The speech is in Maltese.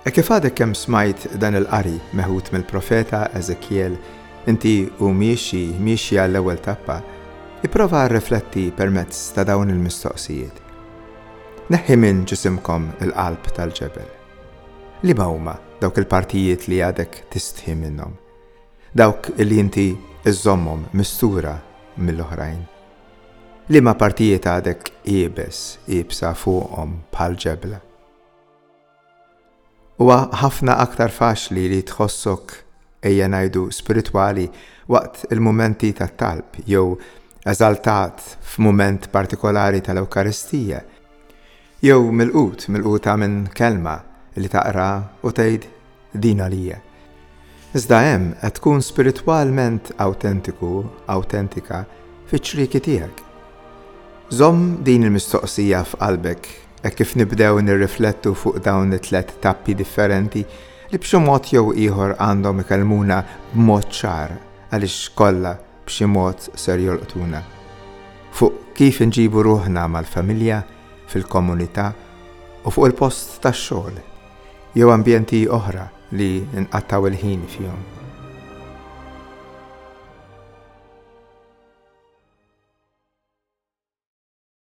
Hekk kif għadek kemm smajt dan il-qari meħud mill-profeta Eżekjel, inti u miexi, miexja għall-ewwel tappa, ipprova rrifletti permezz ta' dawn il-mistoqsijiet. Neħħi minn ġisimkom il-qalb tal-ġebel. Liema huma dawk il-partijiet li għadek tistħi minnhom? Dawk li inti żżommhom mistura mill-oħrajn? Liema partijiet għadek iebes, iebsa fuqhom bħal ġebla? Huwa ħafna aktar faċli li tħossok, ejja ngħidu, spiritwali waqt il-mumenti tat-talb jew eżaltat f'mument partikolari tal-Ewkaristija, jew milqut, milquta minn kelma li taqra u tgħid din għalija. Iżda hemm qed tkun spiritwalment awtentiku, awtentika fiċ-ċrieki tiegħek. Żomm din il-mistoqsija f'qalbek hekk kif nibdew nirriflettu fuq dawn it-tlett tappi differenti li b'xi mod jew ieħor għandhom ikellmuna b'mod ċar għaliex kollha b'xi mod ser jolqtuna. Fuq kif inġibu ruħna mal-familja, fil-komunità u fuq il-post tax-xogħol jew ambjenti oħra li nqattgħu l-ħin fihom.